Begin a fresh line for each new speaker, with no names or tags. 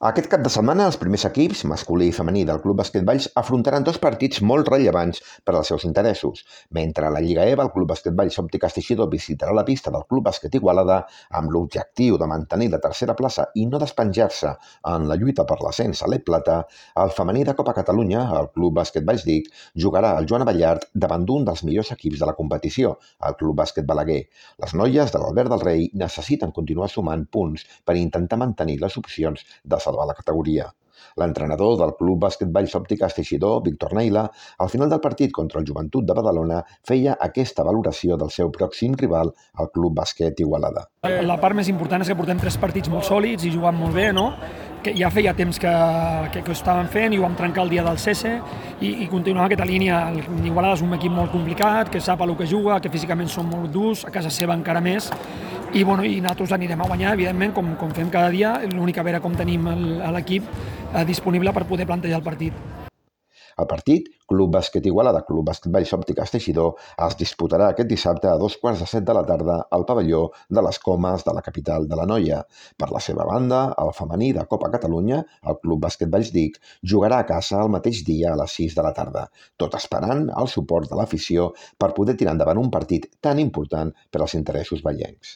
Aquest cap de setmana, els primers equips, masculí i femení del Club Bàsquet Valls, afrontaran dos partits molt rellevants per als seus interessos. Mentre a la Lliga EVA, el Club Bàsquet Valls Òptiques Teixidor visitarà la pista del Club Bàsquet Igualada amb l'objectiu de mantenir la tercera plaça i no despenjar-se en la lluita per l'ascens a l'E-Plata. El femení de Copa Catalunya, el Club Bàsquet Valls Dic, jugarà al Joan Abellart davant d'un dels millors equips de la competició, el Club Bàsquet Balaguer. Les noies de l'Albert del Rei necessiten continuar sumant punts per intentar mantenir les opcions de salvar la categoria. L'entrenador del Club Bàsquet Valls Òptiques Teixidor, Víctor Neila, al final del partit contra el Joventut de Badalona, feia aquesta valoració del seu pròxim rival, el Club Bàsquet Igualada.
La part més important és que portem 3 partits molt sòlids i jugant molt bé, no? Que ja feia temps que ho estàvem fent i ho vam trencar el dia del CESE i continuar aquesta línia. L'Igualada és un equip molt complicat, que sap el que juga, que físicament són molt durs, a casa seva encara més, i nosaltres anirem a guanyar, evidentment, com fem cada dia. L'únic a veure com tenim l'equip disponible per poder plantejar el partit.
El partit, Club Bàsquet Igualada, Club Bàsquet Valls Òptiques Teixidor, es disputarà aquest dissabte a 2:15 de la tarda al pavelló de les Comes de la capital de l'Anoia. Per la seva banda, el femení de Copa Catalunya, el Club Bàsquet Valls Dic, jugarà a casa el mateix dia a les 6 de la tarda, tot esperant el suport de l'afició per poder tirar endavant un partit tan important per als interessos vallencs.